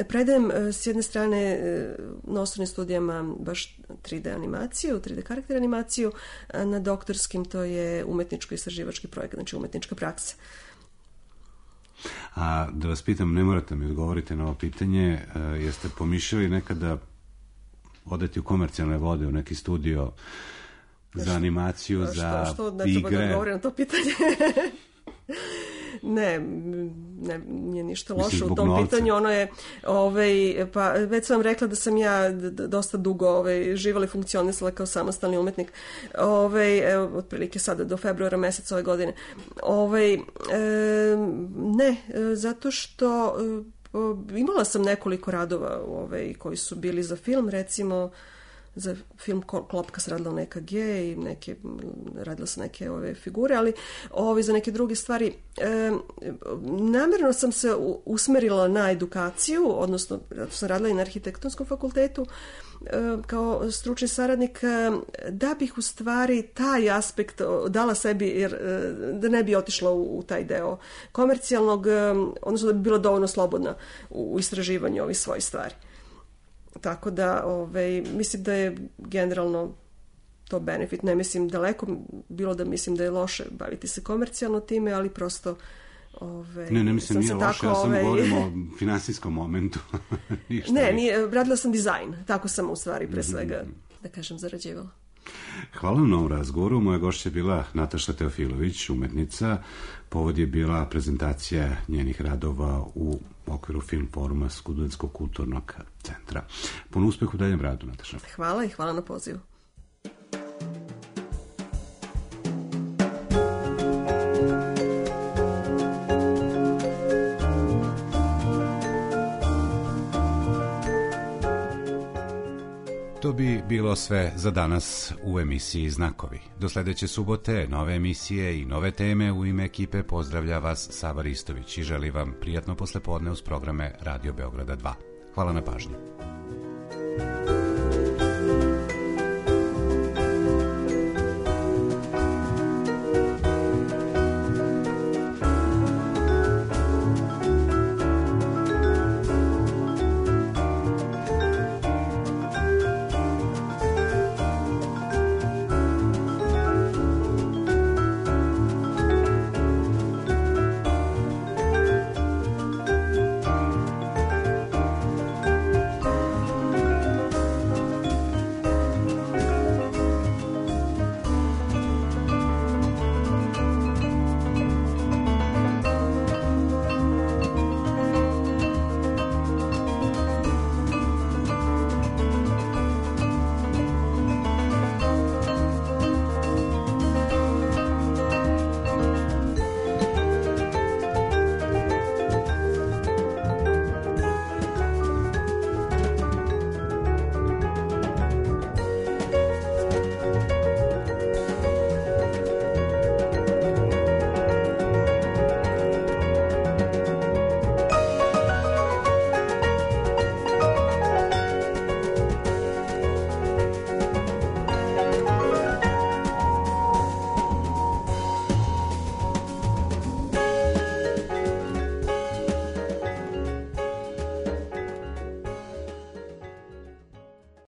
Predajem s jedne strane na osnovnim studijama baš tri D animaciju, tri D karakter animaciju, na doktorskim to je umetničko-istraživački projekt, znači umetnička praksa. A da vas pitam, ne morate mi odgovoriti na ovo pitanje, jeste pomišljali nekada odeti u komercijalne vode, u neki studio za animaciju, što, za što, što, igre? Da odgovorim na to pitanje. Ne, ne, nije ništa loše Mislim, u tom novca. Pitanju, ono je, ovaj, pa već sam vam rekla da sam ja dosta dugo ovaj, živala i funkcionisala kao samostalni umetnik, ovaj, evo, otprilike sada do februara meseca ove godine. Ovaj, e, ne, zato što e, imala sam nekoliko radova ovaj, koji su bili za film, recimo za film Klopka se radila u E K G i neke, radila sam neke ove figure, ali ove, za neke druge stvari e, namjerno sam se usmerila na edukaciju, odnosno sam radila i na arhitektonskom fakultetu e, kao stručni saradnik, e, da bih u stvari taj aspekt dala sebi, jer e, da ne bi otišla u, u taj deo komercijalnog, e, odnosno da bi bila dovoljno slobodna u, u istraživanju ovih svojih stvari. Tako da, ovaj, mislim da je generalno to benefit. Ne mislim daleko, bilo da mislim da je loše baviti se komercijalno time, ali prosto... Ovaj, ne, ne mislim nije loše, tako, ja sam ovaj... govorim o finansijskom momentu. ne, nije, radila sam dizajn, tako sam u stvari pre svega, da kažem, zarađivala. Hvala vam na ovom razgovoru. Moja gošća je bila Nataša Teofilović, umetnica. Povod je bila prezentacija njenih radova u okviru Film foruma Studentskog kulturnog centra. Puno uspeha u daljem radu, Nataša. Hvala i hvala na pozivu. To bi bilo sve za danas u emisiji Znakovi. Do sledeće subote, nove emisije i nove teme. U ime ekipe pozdravlja vas Sava Ristović i želi vam prijatno poslepodne uz programe Radio Beograda dva. Hvala na pažnji.